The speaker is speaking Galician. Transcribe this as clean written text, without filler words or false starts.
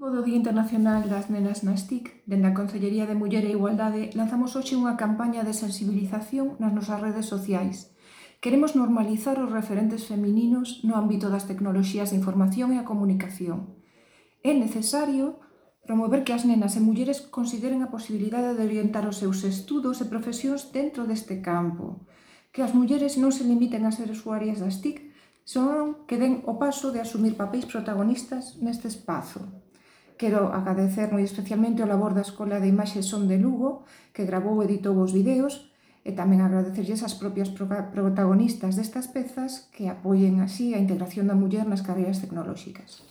Do Día Internacional das Nenas nas TIC, dende a Consellería de Muller e Igualdade, lanzamos hoxe unha campaña de sensibilización nas nosas redes sociais. Queremos normalizar os referentes femininos no ámbito das tecnoloxías de información e a comunicación. É necesario promover que as nenas e mulleres consideren a posibilidade de orientar os seus estudos e profesións dentro deste campo, que as mulleres non se limiten a ser usuarias das TIC, senón que den o paso de asumir papéis protagonistas neste espazo. Quero agradecer moi especialmente o labor da Escola de Imaxe e Son de Lugo, que gravou e editou os videos, e tamén agradecerlles as propias protagonistas destas pezas que apoien así a integración da muller nas carreiras tecnolóxicas.